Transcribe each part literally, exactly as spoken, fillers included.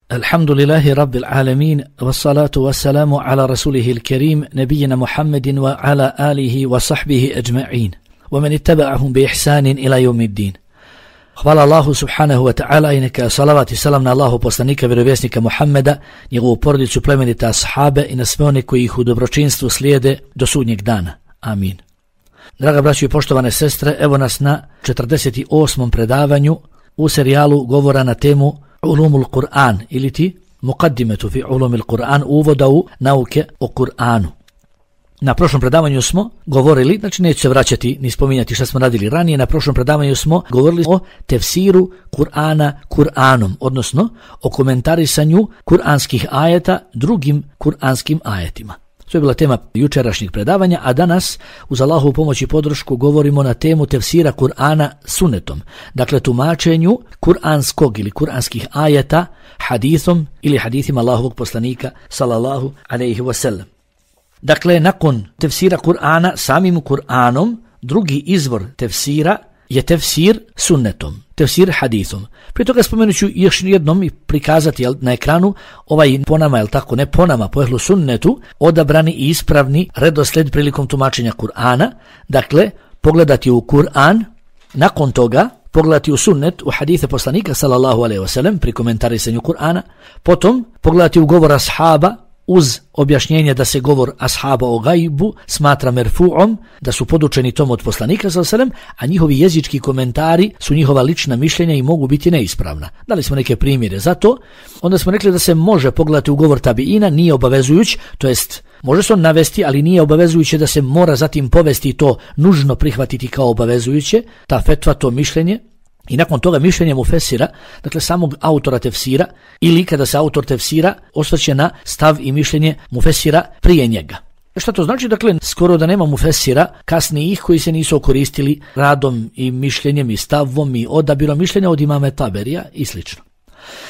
Alhamdulillahi Rabbil Alamin, wassalatu wassalamu ala rasulihil kerim, nebijina Muhammedin wa ala alihi wa sahbihi ajma'in, wa man ittaba'ahum bi ihsanin ila yawmiddin. Hvala Allahu subhanahu wa ta'ala i neka salavat i salam na Allahu poslanika vjerovjesnika Muhammeda, njegovu porodicu, plemenite ashabe i na sve one koji ih u dobročinstvu slijede do sudnjeg dana. Amin. Draga braćo i poštovane sestre, evo nas na četrdeset osmom predavanju u serijalu govora na temu Ulumul Kur'an ili ti Muqaddimetu fi Ulumil Kur'an, uvoda u nauke o Kur'anu. Na prošlom predavanju smo govorili, znači neću se vraćati ni spominjati šta smo radili ranije, na prošlom predavanju smo govorili o tefsiru Kur'ana Kur'anom, odnosno o komentarisanju kuranskih ajeta drugim kuranskim ajetima. To je bila tema jučerašnjeg predavanja, a danas uz Allahovu pomoć i podršku govorimo na temu tefsira Kur'ana sunnetom, dakle tumačenju kuranskog ili kuranskih ajeta hadithom ili hadithima Allahovog poslanika sallallahu alejhi ve sellem. Dakle, nakon tefsira Kur'ana samim Kur'anom, drugi izvor tefsira je tefsir sunnetom, tefsir hadithom. Prije toga spomenut ću još jednom i prikazati jel, na ekranu ovaj po nama, jel tako, ne po nama, po ehlu sunnetu, odabrani i ispravni redosled prilikom tumačenja Kur'ana. Dakle, pogledati u Kur'an, nakon toga pogledati u sunnet, u hadithe poslanika sallallahu alejhi ve sellem pri komentarisanju Kur'ana, potom pogledati u govor ashaba uz objašnjenje da se govor ashaba o gajbu smatra merfu'om, da su podučeni tom od poslanika sallallahu alejhi ve sellem, a njihovi jezički komentari su njihova lična mišljenja i mogu biti neispravna. Dali smo neke primjere za to. Onda smo rekli da se može pogledati u govor tabiina, nije obavezujuć, to jest može se on navesti, ali nije obavezujuće da se mora zatim povesti to nužno prihvatiti kao obavezujuće, ta fetva, to mišljenje. I nakon toga mišljenje mufesira, dakle samog autora tefsira, ili kada se autor tefsira osvrće na stav i mišljenje mufesira prije njega. Šta to znači? Dakle, skoro da nema mufesira kasnijih koji se nisu koristili radom i mišljenjem i stavom i odabirom mišljenja od imame Taberija i slično.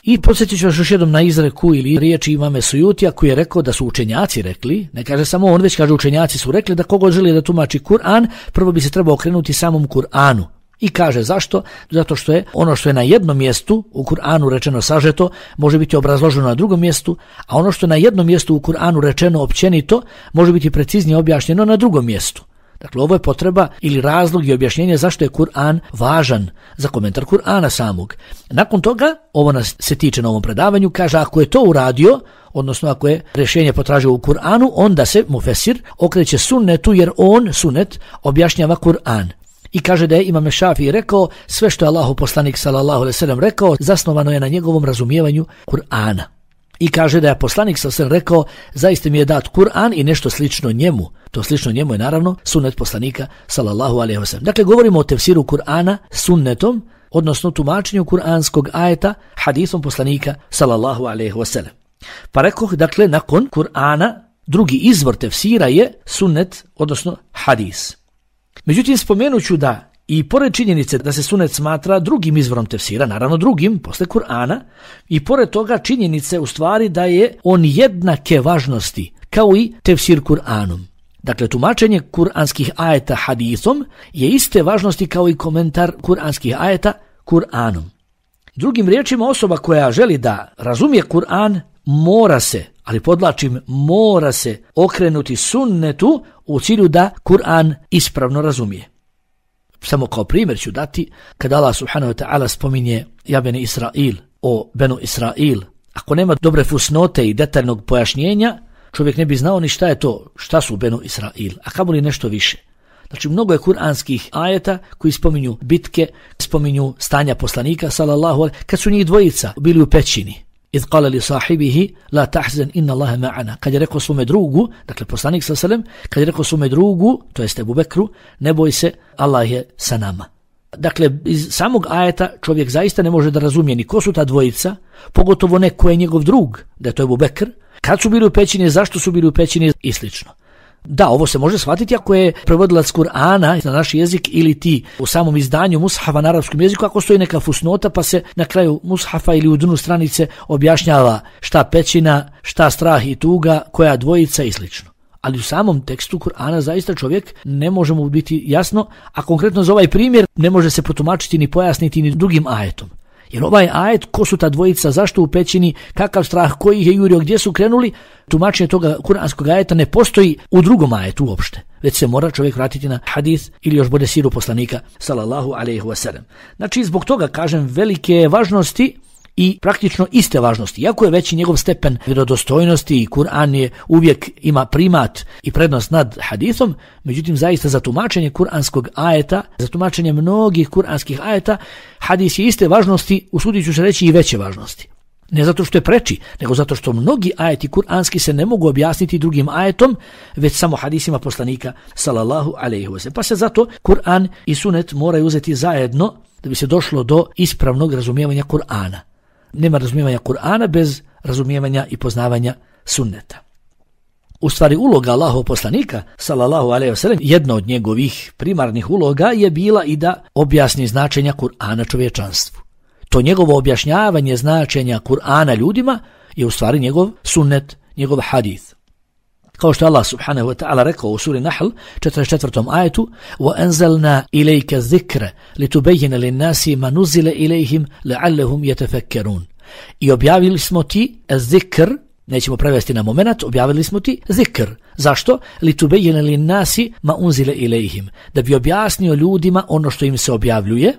I podsjetit ću vas još jednom na izreku ili riječi imame Sujutija koji je rekao da su učenjaci rekli, ne kaže samo on, već kaže učenjaci su rekli da kogo želi da tumači Kur'an, prvo bi se trebao okrenuti samom Kur'anu. I kaže zašto? Zato što je ono što je na jednom mjestu u Kur'anu rečeno sažeto može biti obrazloženo na drugom mjestu, a ono što je na jednom mjestu u Kur'anu rečeno općenito može biti preciznije objašnjeno na drugom mjestu. Dakle, ovo je potreba ili razlog i objašnjenje zašto je Kur'an važan za komentar Kur'ana samog. Nakon toga, ovo nas se tiče na ovom predavanju, kaže ako je to uradio, odnosno ako je rješenje potražio u Kur'anu, onda se mufesir okreće sunnetu jer on, sunnet, objašnjava Kur'an. I kaže da je Imam Šafii rekao sve što je Allahov poslanik sallallahu alejhi ve sellem rekao zasnovano je na njegovom razumijevanju Kur'ana. I kaže da je poslanik sallallahu alejhi ve sellem rekao zaista mi je dat Kur'an i nešto slično njemu. To slično njemu je naravno sunnet poslanika sallallahu alejhi ve sellem. Dakle, govorimo o tefsiru Kur'ana sunnetom, odnosno tumačenju kuranskog ajeta hadithom poslanika sallallahu alejhi ve sellem. Pa rekoh, dakle, nakon Kur'ana drugi izvor tefsira je sunnet, odnosno hadis. Međutim, spomenut ću da i pored činjenice da se sunnet smatra drugim izvorom tefsira, naravno drugim, posle Kur'ana, i pored toga činjenice u stvari da je on jednake važnosti kao i tefsir Kur'anom. Dakle, tumačenje kuranskih ajeta hadithom je iste važnosti kao i komentar kuranskih ajeta Kur'anom. Drugim riječima, osoba koja želi da razumije Kur'an mora se, ali podlačim, mora se okrenuti sunnetu u cilju da Kur'an ispravno razumije. Samo kao primjer ću dati, kada Allah subhanahu wa ta'ala spominje ja beni Israil, o benu Israil, ako nema dobre fusnote i detaljnog pojašnjenja, čovjek ne bi znao ni šta je to, šta su benu Israil, a kamoli nešto više. Znači, mnogo je kuranskih ajeta koji spominju bitke, spominju stanja poslanika, sallallahu alejhi, kad su njih dvojica bili u pećini. Iz qala li sahibihi la tahzan inna Allaha ma'ana. Kad je rekao svome drugu, dakle poslanik sallallahu alejhi ve sellem, kad je rekao svome drugu, to jest Ebu Bekru, ne boj se, Allah je sa nama. Dakle, iz samog ajeta čovjek zaista ne može da razumije ni ko su ta dvojica, pogotovo ne ko je njegov drug, da je to Ebu Bekr, kad su bili u pećini, zašto su bili u pećini i slično. Da, ovo se može shvatiti ako je prevodilac Kur'ana na naš jezik ili ti u samom izdanju mushafa na arapskom jeziku, ako stoji neka fusnota pa se na kraju mushafa ili u dnu stranice objašnjava šta pećina, šta strah i tuga, koja dvojica i slično. Ali u samom tekstu Kur'ana zaista čovjek ne može mu biti jasno, a konkretno za ovaj primjer ne može se potumačiti ni pojasniti ni drugim ajetom. Jer ovaj ajet, ko su ta dvojica, zašto u pećini, kakav strah, koji ih je jurio, gdje su krenuli, tumačenje toga kuranskog ajeta ne postoji u drugom ajetu uopšte, već se mora čovjek vratiti na hadis ili još bolje siru poslanika sallallahu alejhi ve sellem. Znači zbog toga kažem velike važnosti i praktično iste važnosti. Iako je veći njegov stepen vjerodostojnosti i Kur'an je uvijek ima primat i prednost nad hadisom, međutim zaista za tumačenje kuranskog ajeta, za tumačenje mnogih kuranskih ajeta, hadis je iste važnosti, usudit ću se reći i veće važnosti. Ne zato što je preči, nego zato što mnogi ajeti kuranski se ne mogu objasniti drugim ajetom, već samo hadisima poslanika sallallahu alejhi ve sellem. Pa se zato Kur'an i sunet moraju uzeti zajedno da bi se došlo do ispravnog razumijevanja Kur'ana. Nema razumijevanja Kur'ana bez razumijevanja i poznavanja sunneta. U stvari uloga Allahov poslanika sallallahu alejhi ve sellem, jedna od njegovih primarnih uloga je bila i da objasni značenja Kur'ana čovječanstvu. To njegovo objašnjavanje značenja Kur'ana ljudima je u stvari njegov sunnet, njegov hadis. Kao što Allah subhanahu wa ta'ala rekao u suri Nahl četrdeset četvrtom ajetu وَأَنزَلْنَا إِلَيْكَ الذِّكْرَ لِتُبَيِّنَ لِلنَّاسِ مَا نُزِّلَ إِلَيْهِمْ لَعَلَّهُمْ يَتَفَكَّرُونَ. I objavili smo ti zikr, nećemo prevesti na moment, objavili smo ti zikr. Zašto? لِتُبَيِّنَ لِلنَّاسِ مَا أُنزِلَ إِلَيْهِمْ. Da bi objasnio ljudima ono što im se objavljuje,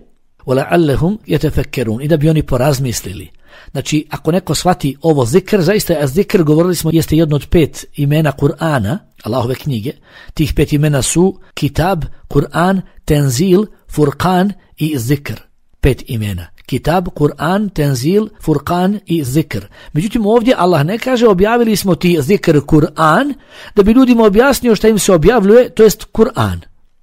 وَلَعَلَّهُمْ يَتَفَكَّرُونَ. I da bi oni porazmislili. Znači, ako neko shvati ovo zikr, zaista je zikr, govorili smo, jeste jedno od pet imena Kur'ana, Allahove knjige. Tih pet imena su Kitab, Kur'an, Tenzil, Furqan i Zikr. Pet imena. Kitab, Kur'an, Tenzil, Furqan i Zikr. Međutim, ovdje Allah ne kaže objavili smo ti zikr Kur'an, da bi ljudima objasnio šta im se objavljuje, to jest Kur'an.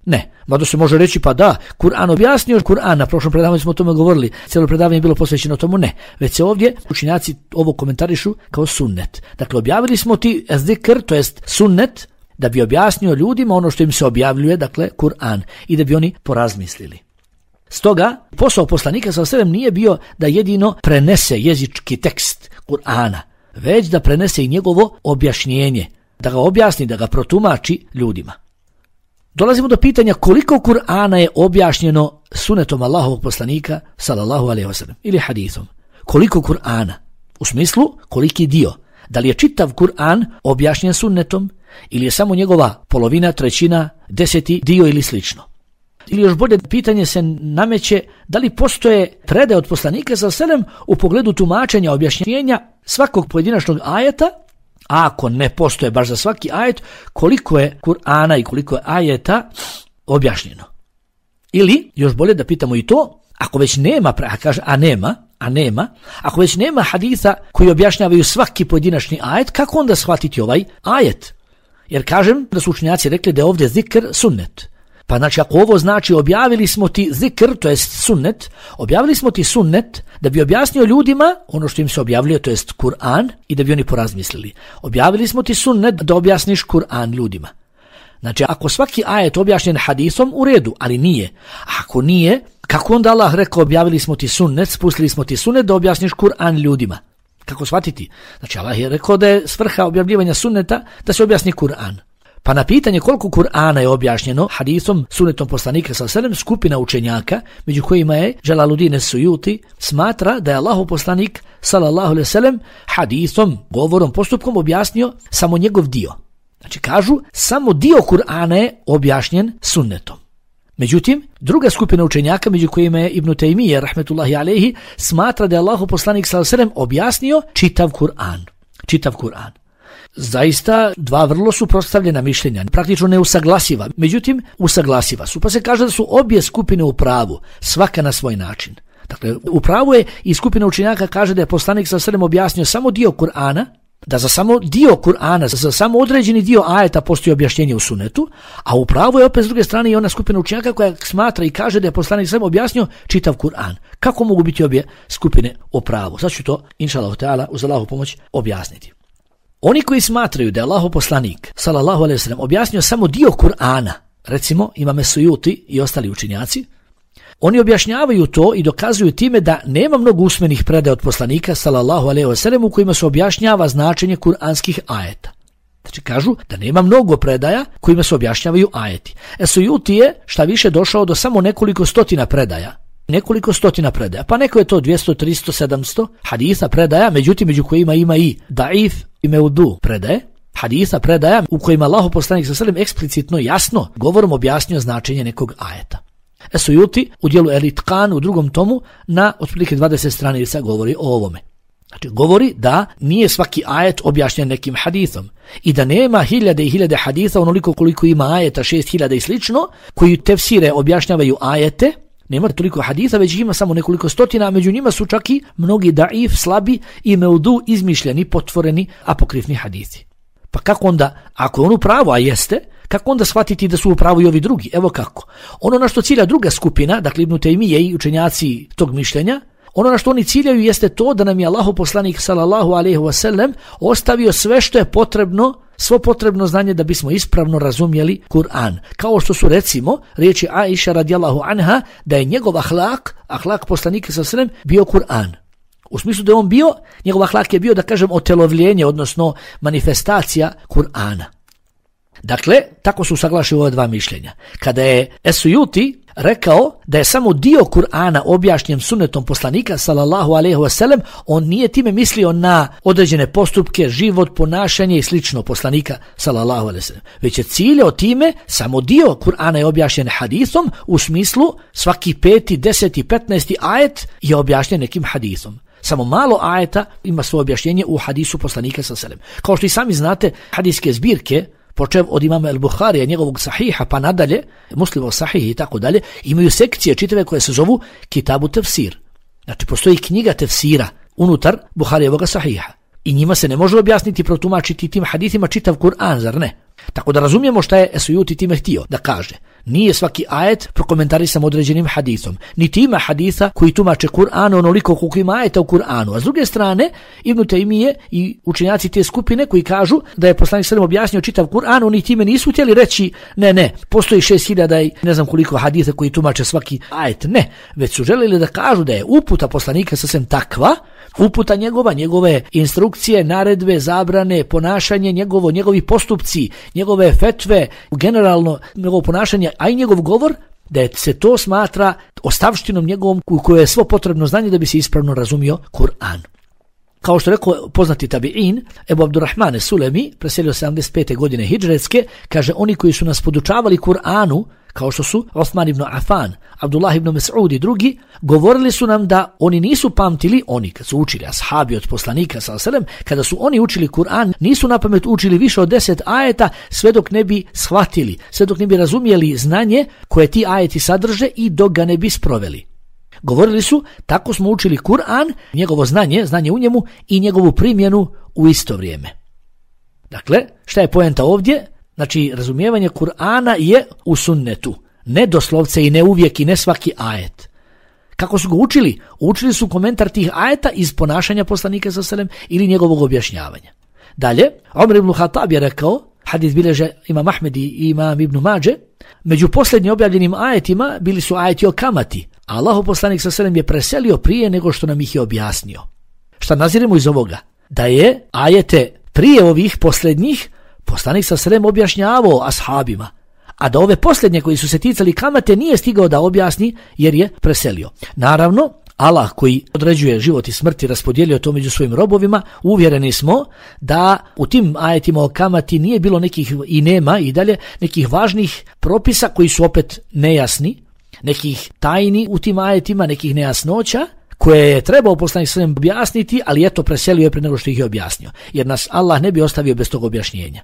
Ne, mada se može reći pa da, Kur'an objasnio Kur'an, na prošlom predavanju smo o tome govorili, cijelo predavanje je bilo posvećeno tomu, ne. Već se ovdje učenjaci ovo komentarišu kao sunnet. Dakle, objavili smo ti zikr, to jest sunnet, da bi objasnio ljudima ono što im se objavljuje, dakle Kur'an, i da bi oni porazmislili. Stoga, posao poslanika sallallahu alejhi ve sellem nije bio da jedino prenese jezički tekst Kur'ana, već da prenese i njegovo objašnjenje, da ga objasni, da ga protumači ljudima. Dolazimo do pitanja koliko Kur'ana je objašnjeno sunetom Allahovog poslanika sallallahu alejhi ve sellem ili hadisom. Koliko Kur'ana? U smislu koliki dio? Da li je čitav Kur'an objašnjen sunnetom ili je samo njegova polovina, trećina, deseti dio ili slično? Ili još bolje pitanje se nameće da li postoje predaje od poslanika sallallahu alejhi ve sellem u pogledu tumačenja, objašnjenja svakog pojedinačnog ajeta. A ako ne postoje baš za svaki ajet, koliko je Kur'ana i koliko je ajeta objašnjeno. Ili, još bolje da pitamo i to, ako već nema, a kaže, a nema, a nema, ako već nema haditha koji objašnjavaju svaki pojedinačni ajet, kako onda shvatiti ovaj ajet? Jer kažem da su učenjaci rekli da je ovdje zikr sunnet. Pa znači ako ovo znači objavili smo ti zikr, to jest sunnet, objavili smo ti sunnet da bi objasnio ljudima ono što im se objavljuje, to jest Kur'an, i da bi oni porazmislili. Objavili smo ti sunnet da objasniš Kur'an ljudima. Znači ako svaki ajet objašnjen hadisom, u redu, ali nije. Ako nije, kako onda Allah rekao objavili smo ti sunnet, spustili smo ti sunnet da objasniš Kur'an ljudima? Kako shvatiti? Znači Allah je rekao da je svrha objavljivanja sunneta da se objasni Kur'an. Pa na pitanje koliko Kur'ana je objašnjeno hadisom, sunnetom poslanika sallallahu alejhi ve sellem, skupina učenjaka, među kojima je Džalaluddin es-Sujuti, smatra da je Allahov poslanik sallallahu alejhi ve sellem hadisom, govorom, postupkom objasnio samo njegov dio. Znači kažu, samo dio Kur'ana je objašnjen sunnetom. Međutim, druga skupina učenjaka, među kojima je Ibn Tejmije, rahmetullahi alejhi, smatra da je Allahov poslanik sallallahu alejhi ve sellem objasnio čitav Kur'an. Čitav Kur'an. Zaista dva vrlo suprotstavljena mišljenja, praktično neusaglasiva, međutim usaglasiva su, pa se kaže da su obje skupine u pravu, svaka na svoj način. Dakle, u pravu je i skupina učenjaka kaže da je poslanik sallallahu alejhi ve sellem objasnio samo dio Kur'ana, da za samo dio Kur'ana, za samo određeni dio ajeta postoji objašnjenje u sunnetu, a u pravu je opet s druge strane i ona skupina učenjaka koja smatra i kaže da je poslanik sallallahu alejhi ve sellem objasnio čitav Kur'an. Kako mogu biti obje skupine u pravu? Sad ću to, inšallahu ta'ala, uz Allahovu pomoć objasniti. Oni koji smatraju da je Allahov poslanik sallallahu alejhi ve sellem objasnio samo dio Kur'ana, recimo Imam es-Sujuti i ostali učenjaci, oni objašnjavaju to i dokazuju time da nema mnogo usmenih predaja od poslanika sallallahu alejhi ve sellem u kojima se objašnjava značenje kuranskih ajeta. Znači kažu da nema mnogo predaja kojima se objašnjavaju ajeti. Es-Sujuti je šta više došao do samo nekoliko stotina predaja nekoliko stotina predaja, pa neko je to dvjesto, tristo, sedamsto hadisa predaja, međutim među kojima ima i daif i meudu predaje, hadisa predaja u kojima Allahov poslanik sallallahu alejhi ve sellem eksplicitno jasno govorom objasnio značenje nekog ajeta. Esujuti u dijelu El-Itqan u drugom tomu na otprilike dvadeset stranica govori o ovome. Znači govori da nije svaki ajet objašnjen nekim hadisom i da nema hiljade i hiljade hadisa onoliko koliko ima ajeta, šest hiljada i slično, koji tefsire objašnjavaju ajete. Nema toliko hadisa, već ima samo nekoliko stotina, a među njima su čak i mnogi daif, slabi i meudu, izmišljeni, potvoreni, apokrifni hadisi. Pa kako onda, ako je on u pravu, a jeste, kako onda shvatiti da su u pravu i ovi drugi? Evo kako. Ono na što cilja druga skupina, dakle Ibn Tejmije i učenjaci tog mišljenja, ono na što oni ciljaju jeste to da nam je Allahov poslanik sallallahu alejhi ve sellem ostavio sve što je potrebno, svo potrebno znanje da bismo ispravno razumjeli Kur'an. Kao što su recimo riječi Aisha radijallahu anha da je njegov ahlak, ahlak poslanika sallallahu alejhi ve sellem bio Kur'an. U smislu da je on bio, njegov ahlak je bio, da kažem, otelovljenje, odnosno manifestacija Kur'ana. Dakle, tako su saglašeni ova dva mišljenja. Kada je Esujuti rekao da je samo dio Kur'ana objašnjen sunnetom poslanika sallallahu alejhi ve sellem, on nije time mislio na određene postupke, život, ponašanje i slično poslanika sallallahu alejhi ve sellem, već je ciljao time samo dio Kur'ana je objašnjen hadisom, u smislu svaki peti, deseti, petnaesti ajet je objašnjen nekim hadisom. Samo malo ajeta ima svoje objašnjenje u hadisu poslanika sallallahu alejhi ve sellem. Kao što i sami znate, hadijske zbirke počev od imama El-Buharija, njegovog sahiha, pa nadalje, Muslimov sahih i tako dalje, imaju sekcije čitave koje se zovu Kitabu tefsir. Znači, postoji knjiga tefsira unutar Buharijevog sahiha. I njima se ne može objasniti, protumačiti tim hadithima čitav Kur'an, zar ne? Tako da razumijemo šta je Esujuti time htio da kaže. Nije svaki ajet prokomentarisan određenim hadisom. Niti ima hadisa koji tumače Kur'an onoliko koliko ima ajeta u Kur'anu. A s druge strane, Ibn Tejmije i učenjaci te skupine koji kažu da je poslanik sallallahu alejhi ve sellem objasnio čitav Kur'an, oni time nisu htjeli reći ne, ne, postoji šest hiljada i ne znam koliko hadisa koji tumače svaki ajet. Ne, već su želeli da kažu da je uputa poslanika sallallahu alejhi ve sellem takva, uputa njegova, njegove instrukcije, naredbe, zabrane, ponašanje njegovo, njegovi postupci, njegove fetve, generalno njegovo ponašanje, a i njegov govor, da je se to smatra ostavštinom njegovom u kojoj je svo potrebno znanje da bi se ispravno razumio Kur'an. Kao što rekao poznati tabi'in, Ebu Abdurrahman Sulemi, preselio sedamdeset pete godine hidžretske, kaže oni koji su nas podučavali Kur'anu, kao što su Osman ibn Affan, Abdullah ibn Mas'ud i drugi, govorili su nam da oni nisu pamtili, oni kad su učili ashabi od poslanika sallallahu alejhi ve sellem, kada su oni učili Kur'an, nisu na pamet učili više od deset ajeta sve dok ne bi shvatili, sve dok ne bi razumjeli znanje koje ti ajeti sadrže i dok ga ne bi sproveli. Govorili su, tako smo učili Kur'an, njegovo znanje, znanje u njemu i njegovu primjenu u isto vrijeme. Dakle, šta je poenta ovdje? Znači, razumijevanje Kur'ana je u sunnetu, ne doslovce i ne uvijek i ne svaki ajet. Kako su ga učili? Učili su komentar tih ajeta iz ponašanja poslanika sallallahu alejhi ve sellem ili njegovog objašnjavanja. Dalje, Omer ibn Khattab je rekao, hadis bilježe Imam Ahmed i Imam Ibn Mađe, među posljednjim objavljenim ajetima bili su ajeti o kamati, a Allahov poslanik sallallahu alejhi ve sellem je preselio prije nego što nam ih je objasnio. Šta naziremo iz ovoga? Da je ajete prije ovih posljednjih poslanik sallallahu alejhi ve sellem objašnjavao ashabima, a da ove posljednje koji su se ticali kamate nije stigao da objasni jer je preselio. Naravno, Allah koji određuje život i smrt i raspodijelio to među svojim robovima, uvjereni smo da u tim ajetima o kamati nije bilo nekih i nema i dalje nekih važnih propisa koji su opet nejasni, nekih tajni u tim ajetima, nekih nejasnoća koje je trebao poslanik sallallahu alejhi ve sellem objasniti, ali eto preselio je prije nego što ih je objasnio, jer nas Allah ne bi ostavio bez tog objašnjenja.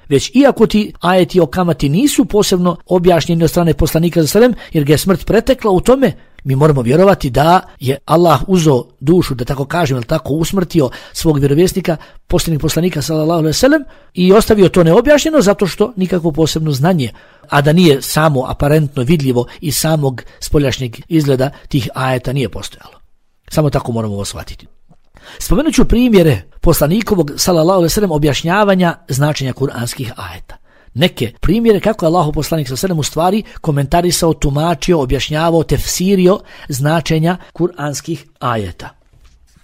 Već iako ti ajeti o kamati nisu posebno objašnjeni od strane poslanika sallallahu alejhi ve sellem, jer ga je smrt pretekla u tome, mi moramo vjerovati da je Allah uzeo dušu, da tako kažem, ili tako usmrtio svog vjerovjesnika, posljednjeg poslanika sallallahu alejhi ve sellem i ostavio to neobjašnjeno zato što nikakvo posebno znanje, a da nije samo aparentno vidljivo iz samog spoljašnjeg izgleda tih ajeta nije postojalo. Samo tako moramo ovo shvatiti. Spomenut ću primjere poslanikovog sallallahu alejhi ve sellem objašnjavanja značenja kuranskih ajeta. Neke primjere kako je Allahov poslanik sallallahu alejhi ve sellem u stvari komentarisao, tumačio, objašnjavao, tefsirio značenja kuranskih ajeta.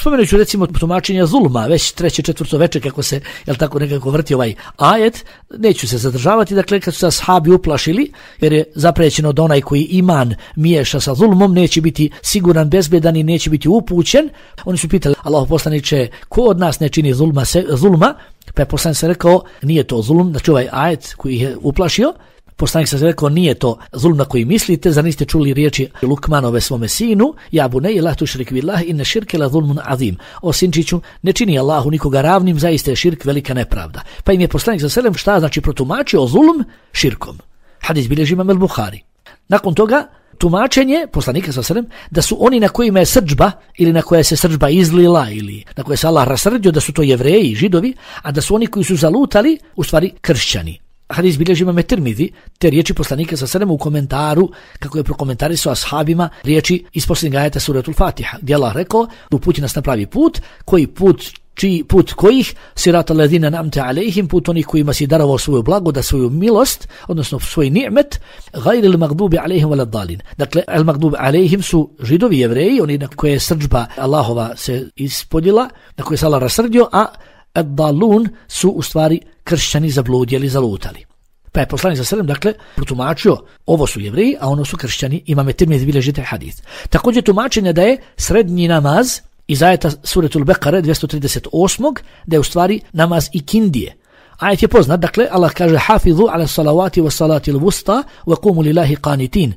Spomenut ću recimo tumačenja zulma, već treće, četvrto veče kako se, jel tako, nekako vrti ovaj ajet, neću se zadržavati, dakle kad su se ashabi uplašili, jer je zaprećeno da onaj koji iman miješa sa zulmom neće biti siguran, bezbedan i neće biti upućen, oni su pitali Allahu poslaniče, ko od nas ne čini zulma, se, zulma, pa je poslanik se rekao, nije to zulm, znači ovaj ajet koji je uplašio, poslanik se rekao, nije to zulm na koji mislite, zar niste čuli riječi Lukmanove svome sinu, ja bunej la tušrik billahi inne širke la zulmun azim. O sinčiću, ne čini Allahu nikoga ravnim, zaista je širk velika nepravda. Pa im je poslanik sa selem šta znači protumačio zulm širkom. Hadis bilježi Imam el-Buhari. Nakon toga tumačenje poslanika sa selem da su oni na kojima je srdžba ili na koje se srdžba izlila ili na koje se Allah rasrdio da su to Jevreji i Židovi, a da su oni koji su zalutali u stvari kršćani. Hadis bilježi Imam Tirmizi, te riječi poslanika sa selem u komentaru, kako je prokomentarisao ashabima, riječi iz posljednjeg ajeta suratul Fatiha, gdje Allah rekao, uputi nas na pravi put, koji put, čiji put kojih, sirata ledina namte alejhim, put onih kojima si darovao svoju blagodat, svoju milost, odnosno svoj ni'met, gajri il magdubi alejhim wala dalin. Dakle, al magdubi alejhim su Židovi, Jevreji, oni na koje srdžba Allahova se ispodjela, na koje se Allah rasrdio, a ad-dalun su u stvari kršćani zabludjeli, zalutali. Pa je poslanik sa selem, dakle, protumačio, ovo su Jevreji, a ono su kršćani, Imam Tirmizi bilježi taj hadis. Također tumačenje da je srednji namaz iz ajeta suratul Bekare dvjesto trideset osam da je u stvari namaz ikindije. Ajet je poznat, dakle, Allah kaže hafizu ala salavati wa salati l-vusta wa kumu lillahi qanitin.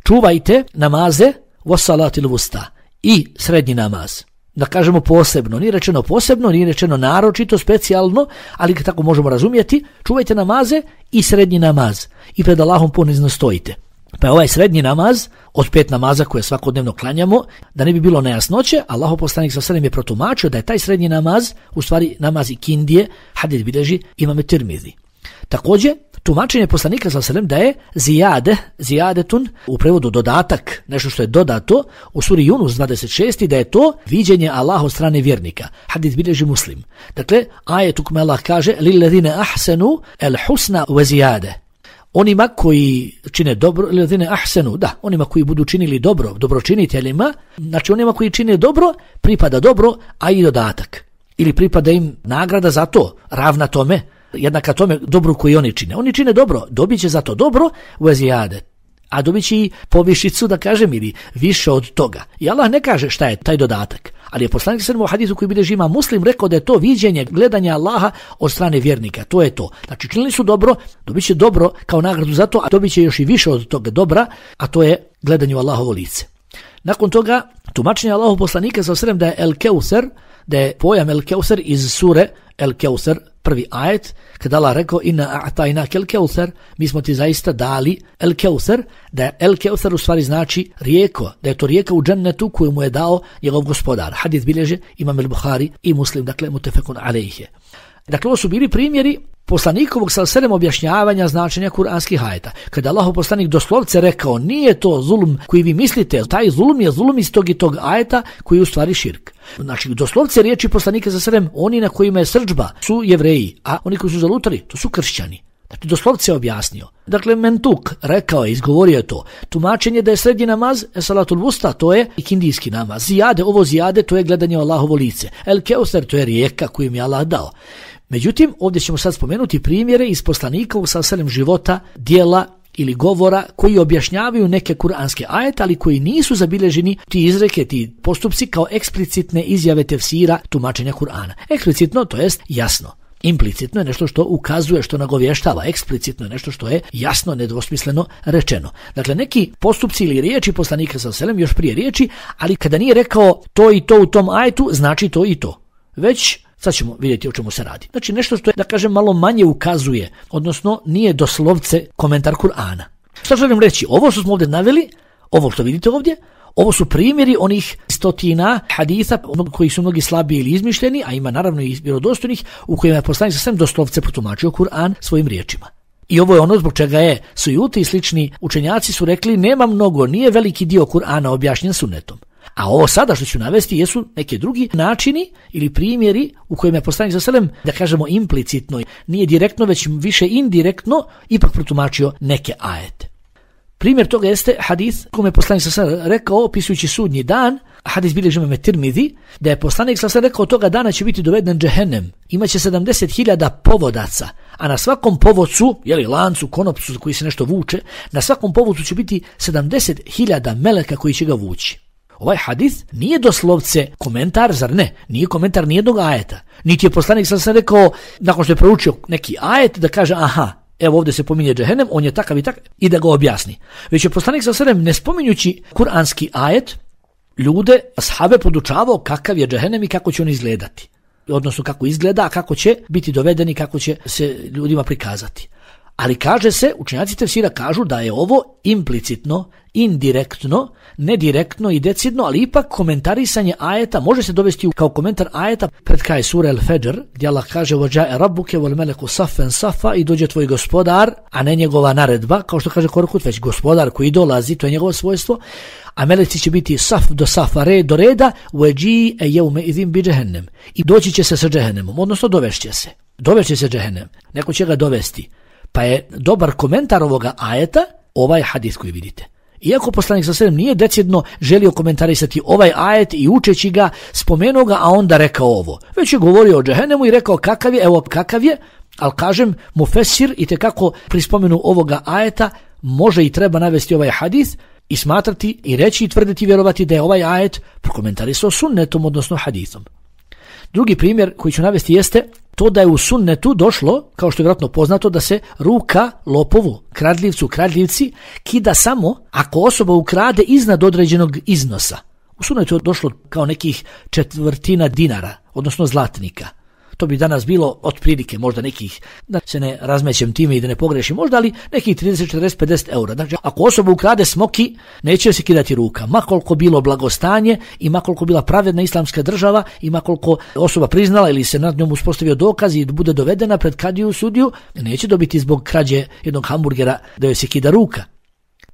Čuvajte namaze wa salati l-vusta i srednji namaz. Da kažemo posebno, nije rečeno posebno, nije rečeno naročito, specijalno, ali tako možemo razumjeti, čuvajte namaze i srednji namaz i pred Allahom ponizno stojite. Pa je ovaj srednji namaz od pet namaza koje svakodnevno klanjamo, da ne bi bilo nejasnoće, Allahov poslanik sa selem je protumačio da je taj srednji namaz u stvari namaz ikindije, hadis bilježi Imam Tirmizi. Također, tumačenje poslanika sa selem da je zijade, zijadetun, u prevodu dodatak, nešto što je dodato, u suri Yunus dvadeset šest da je to viđenje Allaha od strane vjernika. Hadis bilježi Muslim. Dakle, ajet u kome Allah kaže lillezine ahsenu el husna ve zijade. Onima koji čine dobro, lillezine ahsenu, da, onima koji budu činili dobro, dobročiniteljima, znači onima koji čine dobro, pripada dobro, a i dodatak. Ili pripada im nagrada za to, ravna tome, jednaka tome dobru koji oni čine. Oni čine dobro, dobit će za to dobro u ezijade, a dobit će i povišicu, da kažem, ili više od toga. I Allah ne kaže šta je taj dodatak, ali je poslanik sallallahu alejhi ve sellem u hadisu koji bilježi Imam Muslim rekao da je to viđenje, gledanje Allaha od strane vjernika. To je to. Znači činili su dobro, dobit će dobro kao nagradu za to, a dobit će još i više od toga dobra, a to je gledanje u Allahovo lice. Nakon toga, tumačenje Allahov poslanika sallallahu alejhi ve sellem da je El Keuser, da je pojam El Keuser iz sure El Keuser, prvi ajet, kada Allah rekao inna a'tajnaka El Keuser, mi smo ti zaista dali El Keuser, da je El Keuser u stvari znači rijeko, da je to rijeka u džennetu koju mu je dao njegov gospodar. Hadis bilježe Imam el-Buhari i Muslim, dakle mutefekun alejhi. Dakle, ovo su bili primjeri poslanikovog sallallahu alejhi ve sellem objašnjavanja značenja kuranskih ajeta. Kada Allahov poslanik doslovce rekao nije to zulum koji vi mislite, taj zulum je zulum iz tog i tog ajeta koji je u stvari širk. Znači, doslovce riječi poslanika sallallahu alejhi ve sellem, oni na kojima je srdžba su Jevreji, a oni koji su zalutali, to su kršćani. Znači, doslovce je objasnio. Dakle, Mentuk rekao je, izgovorio je to. Tumačenje da je srednji namaz, salatul vusta, to je ikindijski namaz. Zijade, ovo zijade, to je gledanje u Allahovo lice. El Keuser, to je rijeka koju mi je Allah dao. Međutim, ovdje ćemo sad spomenuti primjere iz poslanikovog sallallahu alejhi ve sellem života, dijela ili govora koji objašnjavaju neke kuranske ajete, ali koji nisu zabilježeni ti izreke, ti postupci kao eksplicitne izjave tefsira tumačenja Kur'ana. Eksplicitno, to jest jasno. Implicitno je nešto što ukazuje, što nagovještava. Eksplicitno je nešto što je jasno, nedvosmisleno rečeno. Dakle, neki postupci ili riječi poslanika sallallahu alejhi ve sellem još prije riječi, ali kada nije rekao to i to u tom ajetu, znači to i to. Već sad ćemo vidjeti o čemu se radi. Znači nešto što je, da kažem, malo manje ukazuje, odnosno nije doslovce komentar Kur'ana. Šta želim reći? Ovo što smo ovdje naveli, ovo što vidite ovdje, ovo su primjeri onih stotina haditha koji su mnogi slabiji ili izmišljeni, a ima naravno i vjerodostojnih u kojima je poslanik sallallahu alejhi ve sellem doslovce protumačio Kur'an svojim riječima. I ovo je ono zbog čega je Sujuti i slični učenjaci su rekli nema mnogo, nije veliki dio Kur'ana objašnjen sunnetom. A ovo sada što ću navesti jesu neki drugi načini ili primjeri u kojima je poslanik sallallahu alejhi ve sellem, da kažemo implicitno, nije direktno već više indirektno, ipak protumačio neke ajete. Primjer toga jeste hadis kome je poslanik sallallahu alejhi ve sellem rekao opisujući sudnji dan, hadis bilježi imam Tirmizi, da je poslanik sallallahu alejhi ve sellem rekao toga dana će biti doveden džehennem. Imaće sedamdeset hiljada povodaca, a na svakom povodcu, je li lancu, konopcu za koji se nešto vuče, na svakom povodcu će biti sedamdeset hiljada meleka koji će ga vući. Ovaj hadis nije doslovce komentar, zar ne? Nije komentar nijednog ajeta. Niti je poslanik sallallahu alejhi ve sellem rekao, nakon što je proučio neki ajet, da kaže aha, evo ovdje se pominje džehennem, on je takav i takav, i da ga objasni. Već je poslanik sallallahu alejhi ve sellem, ne spominjući kuranski ajet, ljude, ashabe podučavao kakav je džehennem i kako će on izgledati. Odnosno kako izgleda, a kako će biti dovedeni, kako će se ljudima prikazati. Ali kaže se, učenjaci tefsira kažu da je ovo implicitno, indirektno, nedirektno i decidno, ali ipak komentarisanje ajeta može se dovesti kao komentar ajeta pred kraj sure Al-Fajr, gdje Allah kaže وَجَاءَ رَبُّكَ وَالْمَلَكُ صَفًّا صَفًّا i dođe tvoj gospodar, a ne njegova naredba, kao što kaže Korkut, već gospodar koji dolazi, to je njegovo svojstvo, a meleci će biti saf do safa, red do reda, وَجِيءَ يَوْمَئِذٍ بِجَهَنَّمَ i doći će se sa džehennemom, odnosno dovešće se. Dovešće se džehennem, neko će ga dovesti. Pa je dobar komentar ovoga ajeta ovaj hadis koji vidite. Iako poslanik sallallahu alejhi ve sellem nije decidno želio komentarisati ovaj ajet i učeći ga, spomenuo ga, a onda rekao ovo. Već je govorio o džehennemu i rekao kakav je, evo kakav je, ali kažem, mufesir i tekako pri spomenu ovoga ajeta može i treba navesti ovaj hadis i smatrati i reći i tvrditi i vjerovati da je ovaj ajet prokomentarisao sunnetom, odnosno hadisom. Drugi primjer koji ću navesti jeste to da je u sunnetu došlo, kao što je vjerojatno poznato, da se ruka lopovu, kradljivcu, kradljivci kida samo ako osoba ukrade iznad određenog iznosa. U sunnetu je došlo kao nekih četvrtina dinara, odnosno zlatnika. To bi danas bilo otprilike možda nekih, da se ne razmećem time i da ne pogrešim, možda ali nekih trideset, četrdeset, pedeset eura. Znači, ako osoba ukrade smoki, neće se kidati ruka. Makoliko bilo blagostanje i makoliko bila pravedna islamska država i makoliko osoba priznala ili se nad njom uspostavio dokaz i bude dovedena pred kadiju sudiju, neće dobiti zbog krađe jednog hamburgera da joj se kida ruka.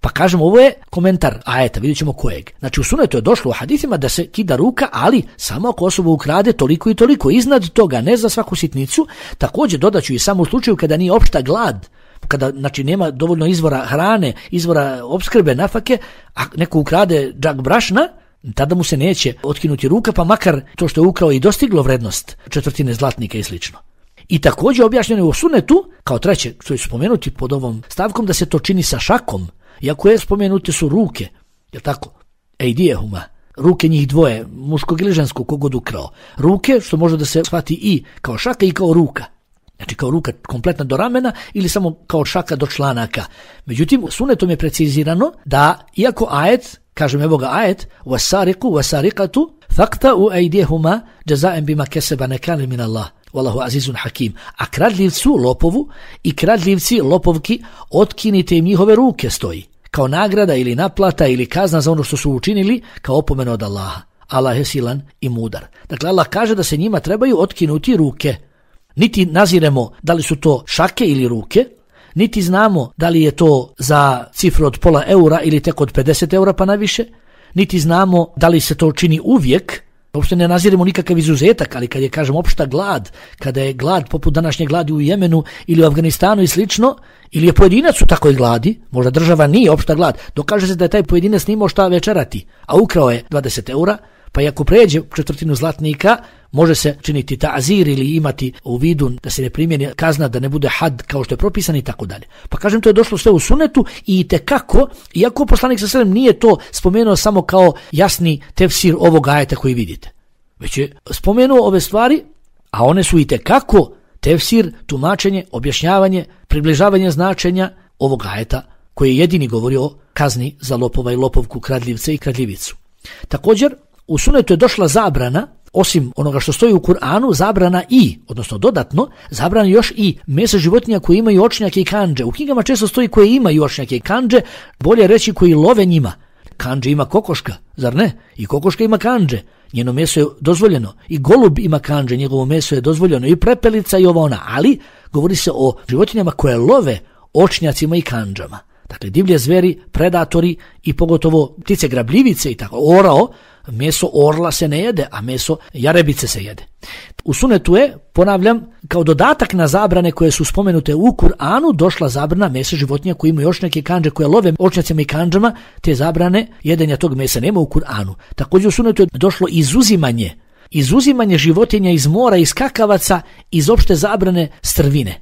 Pa kažemo, ovo je komentar ajeta, vidjet ćemo kojeg. Znači u sunnetu je došlo u hadisima da se kida ruka, ali samo ako osoba ukrade toliko i toliko. Iznad toga, ne za svaku sitnicu. Također dodaću i samo u slučaju kada nije opšta glad, kada znači nema dovoljno izvora hrane, izvora opskrbe, nafake, a neko ukrade džak brašna, tada mu se neće otkinuti ruka, pa makar to što je ukrao i dostiglo vrednost četvrtine zlatnika i slično. I također objašnjeno je u sunnetu, kao treće, što je spomenuti pod ovom stavkom, da se to čini sa šakom. Iako je spomenute su ruke, je tako? Ejdijehuma, ruke njih dvoje, muškog ili ženskog, kogod ukrao. Ruke, što može da se shvati i kao šaka i kao ruka. Znači kao ruka kompletna do ramena ili samo kao šaka do članaka. Međutim, sunnetom je precizirano da, iako ajet, kažem evo ga ajet, wasariku, wasarikatu, fakta u ejdijehuma, jazaem bima keseba nekane min Allah. Wallahu azizun hakim. A kradljivcu, lopovu i kradljivci, lopovki, otkinite im njihove ruke stoji. Kao nagrada ili naplata ili kazna za ono što su učinili, kao opomena od Allaha. Allah je silan i mudar. Dakle, Allah kaže da se njima trebaju otkinuti ruke. Niti naziremo da li su to šake ili ruke, niti znamo da li je to za cifru od pola eura ili tek od pedeset eura pa naviše, niti znamo da li se to čini uvijek. Uopšte ne naziremo nikakav izuzetak, ali kad je, kažem, opšta glad, kada je glad poput današnje gladi u Jemenu ili u Afganistanu i slično, ili je pojedinac u takoj gladi, možda država nije opšta glad, dokaže se da je taj pojedinac nimao šta večerati, a ukrao je dvadeset eura, pa i ako pređe četvrtinu zlatnika, može se činiti ta'zir ili imati u vidu da se ne primjeni kazna, da ne bude had kao što je propisan i tako dalje. Pa kažem, to je došlo sve u sunnetu i tekako, iako poslanik sallallahu alejhi ve sellem nije to spomenuo samo kao jasni tefsir ovog ajeta koji vidite, već je spomenuo ove stvari, a one su i tekako tefsir, tumačenje, objašnjavanje, približavanje značenja ovog ajeta koji je jedini govorio o kazni za lopova i lopovku, kradljivce i kradljivicu. Također, u sunnetu je došla zabrana, osim onoga što stoji u Kur'anu, zabrana i, odnosno dodatno, zabrana još i mesa životinja koji imaju očnjake i kandže. U knjigama često stoji koje imaju očnjake i kandže, bolje reći koji love njima. Kandže ima kokoška, zar ne? I kokoška ima kandže, njeno meso je dozvoljeno. I golub ima kandže, njegovo meso je dozvoljeno. I prepelica i ova ona, ali govori se o životinjama koje love očnjacima i kandžama. Dakle, divlje zveri, predatori i pogotovo ptice grabljivice i tako, orao, meso orla se ne jede, a meso jarebice se jede. U sunetu je, ponavljam, kao dodatak na zabrane koje su spomenute u Kur'anu, došla zabrana mesa životinja koji imaju još neke kandže koje love očnjacima i kandžama, te zabrane jedenja tog mesa nema u Kur'anu. Također u sunetu je došlo izuzimanje, izuzimanje životinja iz mora, iz skakavaca, iz opšte zabrane strvine.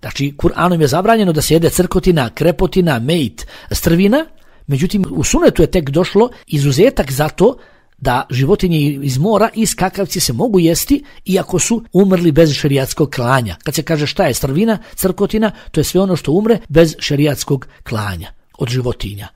Znači, Kur'anom je zabranjeno da se jede crkotina, krepotina, mejt, strvina, međutim u sunetu je tek došlo izuzetak za to da životinje iz mora i skakavci se mogu jesti iako su umrli bez šerijatskog klanja. Kad se kaže šta je strvina, crkotina, to je sve ono što umre bez šerijatskog klanja od životinja.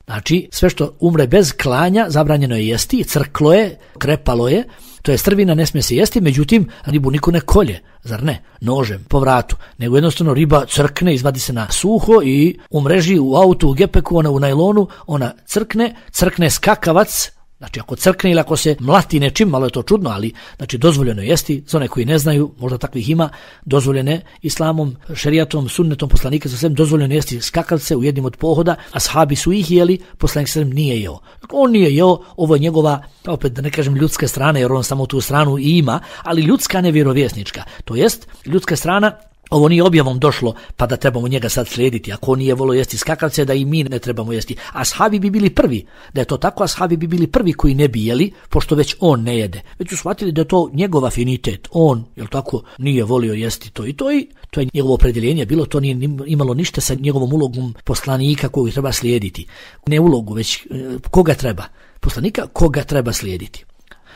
Znači, sve što umre bez klanja zabranjeno je jesti, crklo je, krepalo je, to je strvina, ne smije se jesti, međutim ribu niko ne kolje, zar ne, nožem, po vratu, nego jednostavno riba crkne, izvadi se na suho i u mreži, u autu, u gepeku, ona u najlonu, ona crkne, crkne skakavac. Znači ako crkne ili ako se mlati nečim, malo je to čudno, ali znači dozvoljeno je jesti, za one koji ne znaju, možda takvih ima, dozvoljene islamom, šerijatom, sunnetom poslanika sa svem, dozvoljeno je jesti skakavce u jednim od pohoda, ashabi su ih jeli, poslanik sa svem nije jeo. On nije jeo, ovo je njegova, opet da ne kažem ljudska strana, jer on samo tu stranu i ima, ali ljudska ne vjerovjesnička, to jest ljudska strana. Ovo nije objavom došlo pa da trebamo njega sad slijediti. Ako on nije volio jesti skakavce, da i mi ne trebamo jesti. Ashabi bi bili prvi. Da je to tako, ashabi bi bili prvi koji ne bi jeli, pošto već on ne jede. Već su shvatili da je to njegov afinitet. On, jel tako, nije volio jesti to i to i to je njegovo opredjeljenje bilo, to nije imalo ništa sa njegovom ulogom poslanika koju treba slijediti. Ne ulogu, već koga treba. Poslanika koga treba slijediti.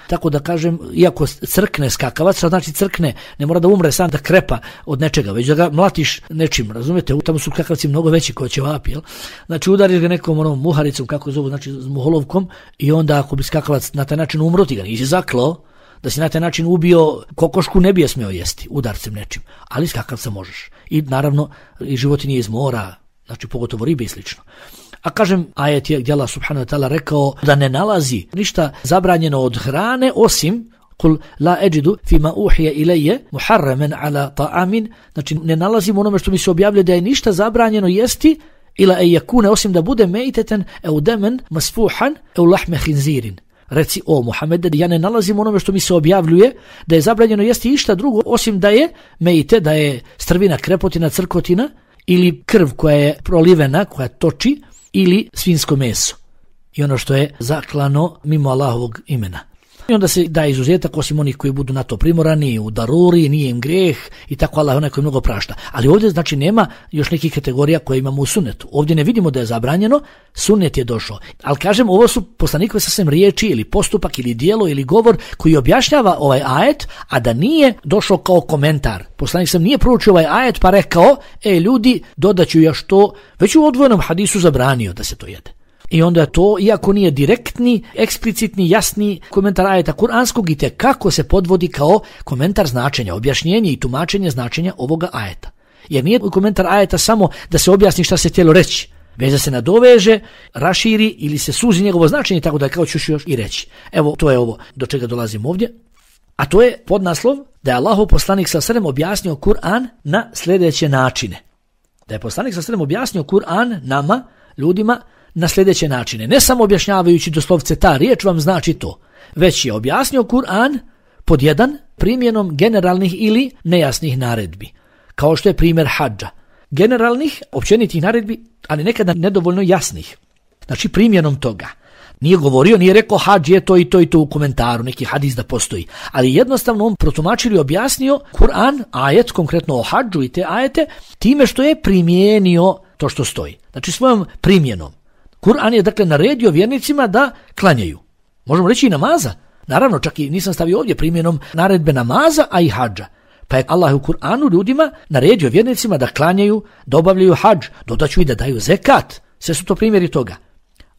Tako da kažem, iako crkne skakavac, što znači crkne, ne mora da umre sam da krepa od nečega, već da ga mlatiš nečim, razumijete, tamo su skakavci mnogo veći kao ćevapi, jel? Znači udariš ga nekom onom muharicom, kako zovu, znači muholovkom, i onda ako bi skakavac na taj način umro, ti ga nisi zaklao, da si na taj način ubio kokošku, ne bi je smio jesti udarcem nečim, ali skakavca možeš. I naravno i životinje iz mora, znači pogotovo ribe i slično. A kažem, ajet je gdje Allah subhanahu wa ta'ala rekao da ne nalazi ništa zabranjeno od hrane osim kul la eđidu fima uhije ilaje muharramen ala ta'amin, znači ne nalazim onome što mi se objavlja da je ništa zabranjeno jesti ila e jakune osim da bude mejteten eu demen masfuhan eu lahme hinzirin. Reci o Muhammede, ja ne nalazim onome što mi se objavljuje da je zabranjeno jesti išta drugo osim da je mejte, da je strvina, krepotina, crkotina ili krv koja je prolivena, koja toči, ili svinjsko meso i ono što je zaklano mimo Allahovog imena. I onda se da izuzetak osim onih koji budu na to primorani, u daruri, nije im grijeh i tako Allah onaj koji mnogo prašta. Ali ovdje znači nema još nekih kategorija koje imamo u sunnetu. Ovdje ne vidimo da je zabranjeno, sunnet je došao. Ali kažem, ovo su poslanikove sasvim riječi ili postupak ili dijelo ili govor koji objašnjava ovaj ajet, a da nije došao kao komentar. Poslanik sam nije proučio ovaj ajet pa rekao, e ljudi, dodaću još to, već u odvojenom hadisu zabranio da se to jede. I onda to, iako nije direktni, eksplicitni, jasni komentar ajeta kuranskog, i te kako se podvodi kao komentar značenja, objašnjenje i tumačenje značenja ovoga ajeta. Jer nije komentar ajeta samo da se objasni šta se htjelo reći, već da se nadoveže, raširi ili se suzi njegovo značenje, tako da kao ću još i reći. Evo, to je ovo do čega dolazim ovdje. A to je podnaslov da je Allahov poslanik sallallahu alejhi ve sellem objasnio Kur'an na sljedeće načine. Da je poslanik sallallahu alejhi ve sellem objasnio Kur'an nama, ljudima, na sljedeće načine. Ne samo objašnjavajući doslovce ta riječ vam znači to, već je objasnio Kur'an pod jedan primjenom generalnih ili nejasnih naredbi. Kao što je primjer hadža. Generalnih, općenitih naredbi, ali nekada nedovoljno jasnih. Znači primjenom toga. Nije govorio, nije rekao hadž je to i to i to u komentaru, neki hadis da postoji. Ali jednostavno on protumačio i objasnio Kur'an, ajet, konkretno o hadžu i te ajete, time što je primijenio to što stoji. Znači svojom primjenom. Kur'an je dakle naredio vjernicima da klanjaju. Možemo reći i namaza. Naravno, čak i nisam stavio ovdje primjenom naredbe namaza, a i hadža. Pa je Allah u Kur'anu ljudima naredio vjernicima da klanjaju, da obavljaju hadž, dodaću i da daju zekat. Sve su to primjeri toga.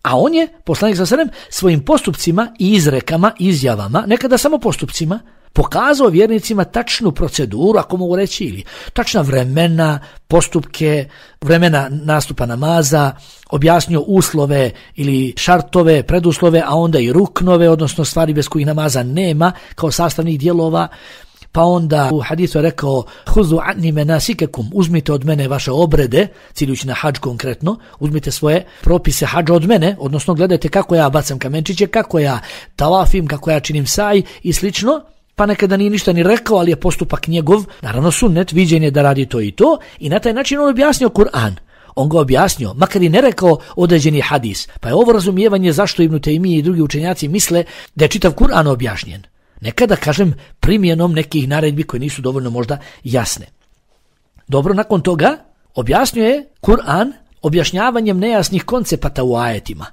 A on je, poslanik sallallahu alejhi ve sellem, svojim postupcima i izrekama, izjavama, nekada samo postupcima, pokazao vjernicima tačnu proceduru, ako mogu reći, ili tačna vremena, postupke, vremena nastupa namaza, objasnio uslove ili šartove, preduslove, a onda i ruknove, odnosno stvari bez kojih namaza nema, kao sastavnih dijelova, Pa onda u hadisu je rekao huzu anni menasikakum, uzmite od mene vaše obrede, ciljući na hadž konkretno, uzmite svoje propise hadža od mene, odnosno gledajte kako ja bacam kamenčiće, kako ja tavafim, kako ja činim saj i slično. Pa nekada nije ništa ni rekao, ali je postupak njegov, naravno sunnet, viđenje da radi to i to, i na taj način on objasnio Kur'an. On ga objasnio, makar i ne rekao određeni hadis. Pa je ovo razumijevanje zašto Ibn Taymije i drugi učenjaci misle da je čitav Kur'an objašnjen. Nekada, kažem, primjenom nekih naredbi koje nisu dovoljno možda jasne. Dobro, nakon toga objasnio je Kur'an objašnjavanjem nejasnih koncepata u ajetima,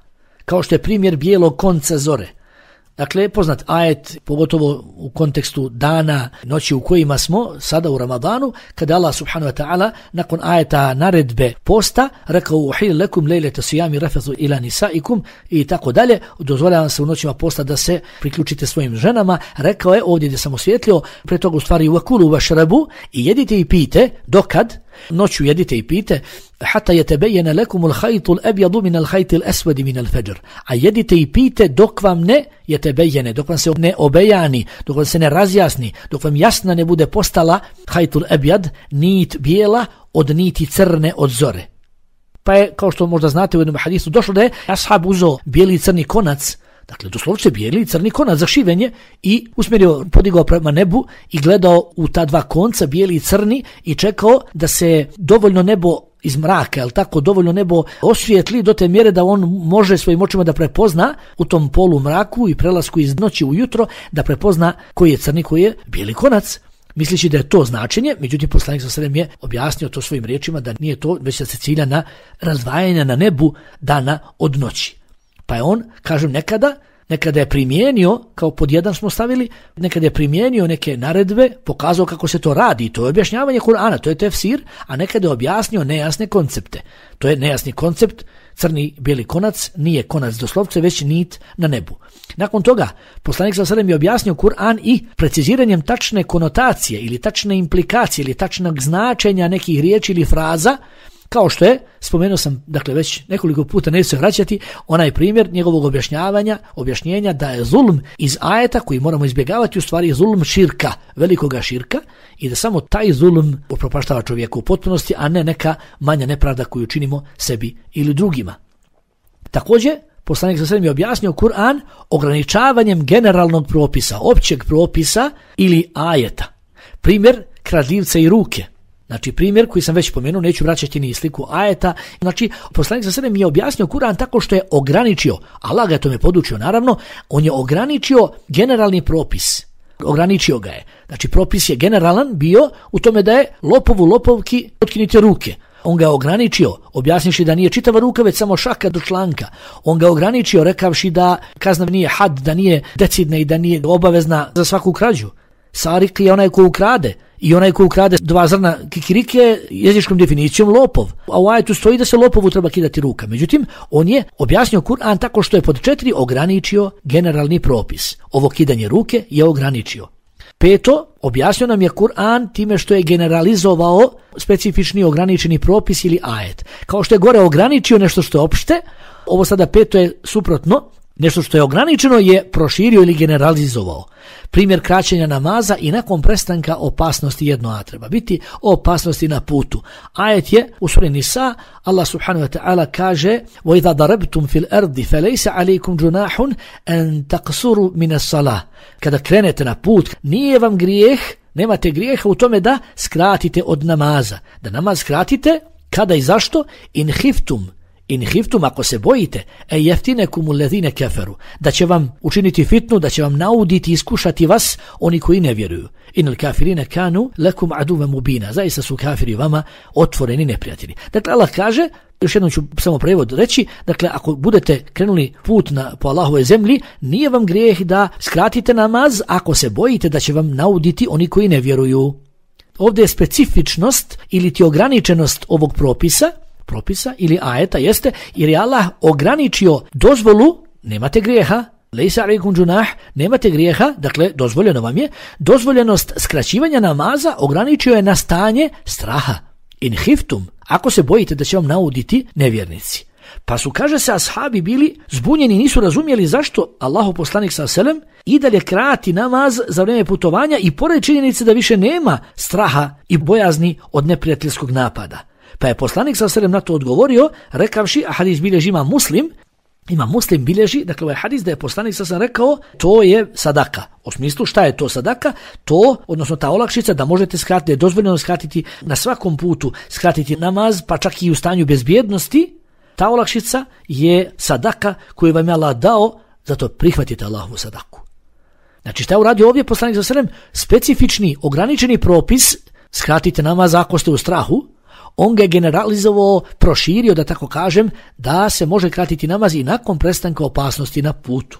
kao što je primjer bijelog konca zore. Dakle, poznat ajet, pogotovo u kontekstu dana, noći u kojima smo, sada u Ramadanu, kada Allah subhanahu wa ta'ala, nakon ajeta naredbe posta, rekao uhil lekum lejlete sijami rafathu ila nisaikum i tako dalje, dozvoljavam se u noćima posta da se priključite svojim ženama, rekao je, ovdje gdje sam osvijetlio, pre toga u stvari vakulu vašrabu i jedite i pijte, dokad? Noću jedite i pijte, hatta yatabayyana lakum al-khayt al-abyad min al-khayt al-aswad min al-fajr. A jedite i pijte dok vam ne yatabayyana, dok vam se ne obejani, dok vam se ne razjasni, dok vam jasna ne bude postala khayt al-abyad, nit bijela od niti crne od zore. Pa je, kao što možda znate u jednom hadisu, došlo da je ashab uzeo bijeli i crni konac, dakle doslovce bijeli i crni konac za šivenje i usmjerio, podigao prema nebu i gledao u ta dva konca, bijeli i crni, i čekao da se dovoljno nebo iz mraka, jel tako, dovoljno nebo osvijetli do te mjere da on može svojim očima da prepozna u tom polu mraku i prelasku iz noći u jutro, da prepozna koji je crni, koji je bijeli konac. Mislići da je to značenje, međutim poslanik sallallahu alejhi ve sellem je objasnio to svojim riječima da nije to, već da se cilja na razdvajanje na nebu dana od noći. Pa je on, kažem, nekada, nekada je primijenio, kao pod jedan smo stavili, nekada je primijenio neke naredbe, pokazao kako se to radi, to je objašnjavanje Kur'ana, to je tefsir, a nekada je objasnio nejasne koncepte. To je nejasni koncept, crni bijeli konac, nije konac doslovce, već nit na nebu. Nakon toga, poslanik sallallahu alejhi ve sellem je objasnio Kur'an i preciziranjem tačne konotacije ili tačne implikacije ili tačnog značenja nekih riječi ili fraza, kao što je, spomenuo sam, dakle već nekoliko puta, neću se vraćati, onaj primjer njegovog objašnjavanja, objašnjenja da je zulm iz ajeta koji moramo izbjegavati u stvari zulm širka, velikoga širka, i da samo taj zulm upropaštava čovjeku u potpunosti, a ne neka manja nepravda koju činimo sebi ili drugima. Također, poslanik sallallahu alejhi ve sellem je objasnio Kur'an ograničavanjem generalnog propisa, općeg propisa ili ajeta. Primjer kradljivca i ruke. Znači primjer koji sam već spomenuo, neću vraćati ni sliku ajeta. Znači poslanik sallallahu alejhi ve sellem je objasnio Kur'an tako što je ograničio, Allah ga je tome podučio naravno, on je ograničio generalni propis. Ograničio ga je. Znači propis je generalan bio u tome da je lopovu lopovki otkinite ruke. On ga ograničio, objasnivši da nije čitava ruka, već samo šaka do članka. On ga ograničio, rekavši da kazna nije had, da nije decidna i da nije obavezna za svaku krađu. Sarik je onaj ko ukrade, i onaj ko ukrade dva zrna kikirike jezičkom definicijom lopov. A u ajetu stoji da se lopovu treba kidati ruka. Međutim, on je objasnio Kur'an tako što je pod četiri ograničio generalni propis. Ovo kidanje ruke je ograničio. Peto, objasnio nam je Kur'an time što je generalizovao specifični ograničeni propis ili ajet. Kao što je gore ograničio nešto što je opšte, ovo sada peto je suprotno, nešto što je ograničeno je proširio ili generalizovao. Primjer kraćenja namaza i nakon prestanka opasnosti jedno, a treba biti opasnosti na putu. Ajet je u suri Nisa, Allah subhanahu wa ta'ala kaže وَإِذَا ضَرَبْتُمْ فِي الْأَرْضِ فَلَيْسَ عَلَيْكُمْ جُنَاحٌ أَن تَقْصُرُوا مِنَ الصَّلَاةِ. Kada krenete na put, nije vam grijeh, nemate grijeha u tome da skratite od namaza. Da namaz skratite, kada i zašto? In hiftum. In hiftum, ako se bojite, e jeftinekum ulezine keferu, da će vam učiniti fitnu, da će vam nauditi i iskušati vas oni koji ne vjeruju. Inal kafirine kanu lekum aduve mubina, zaista su kafiri vama otvoreni neprijatelji. Dakle, Allah kaže, još jednom ću samo prevod reći, dakle, ako budete krenuli put na, po Allahove zemlji, nije vam grijeh da skratite namaz, ako se bojite da će vam nauditi oni koji ne vjeruju. Ovdje je specifičnost ili ti ograničenost ovog propisa, propisa ili ajeta jeste jer je Allah ograničio dozvolu, nemate grijeha, lejsa alejkum džunah, nemate grijeha, dakle dozvoljeno vam je, dozvoljenost skraćivanja namaza ograničio je na stanje straha. In hiftum, ako se bojite da će vam nauditi nevjernici. Pa su, kaže se, ashabi bili zbunjeni, nisu razumjeli zašto Allahov poslanik sallallahu alejhi ve sellem i dalje krati namaz za vrijeme putovanja i pored činjenice da više nema straha i bojazni od neprijateljskog napada. Pa je poslanik sallallahu alejhi ve sellem na to odgovorio rekavši, a hadis bilježi ima Muslim, ima Muslim bilježi, dakle ovaj hadis da je poslanik sallallahu alejhi ve sellem rekao to je sadaka. U smislu šta je to sadaka? To, odnosno ta olakšica da možete skratiti, da je dozvoljeno skratiti na svakom putu, skratiti namaz, pa čak i u stanju bezbjednosti. Ta olakšica je sadaka koju vam je Allah dao, zato prihvatite Allahovu sadaku. Znači šta je uradio ovdje poslanik sallallahu alejhi ve sellem? Specifični, ograničeni propis, skratite namaz ako ste u strahu, on ga je generalizovao, proširio, da tako kažem, da se može kratiti namaz i nakon prestanka opasnosti na putu.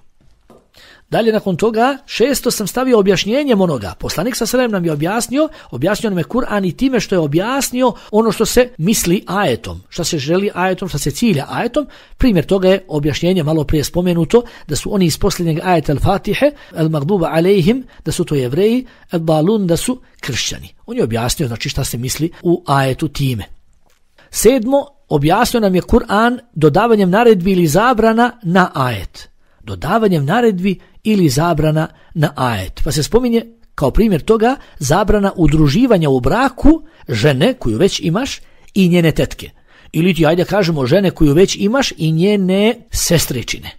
Dalje nakon toga, šesto sam stavio objašnjenjem onoga. Poslanik sallallahu alejhi ve sellem nam je objasnio, objasnio nam je Kur'an i time što je objasnio ono što se misli ajetom, što se želi ajetom, što se cilja ajetom. Primjer toga je objašnjenje malo prije spomenuto da su oni iz posljednjeg ajeta Al-Fatihe, Al-Magduba alejhim, da su to Jevreji, Al-Balun, da su kršćani. On je objasnio znači šta se misli u ajetu time. Sedmo, objasnio nam je Kur'an dodavanjem naredbi ili zabrana na ajet. Dodavanjem naredbi ili zabrana na ajet. Pa se spominje kao primjer toga zabrana udruživanja u braku žene koju već imaš i njene tetke. Ili ti ajde kažemo žene koju već imaš i njene sestričine.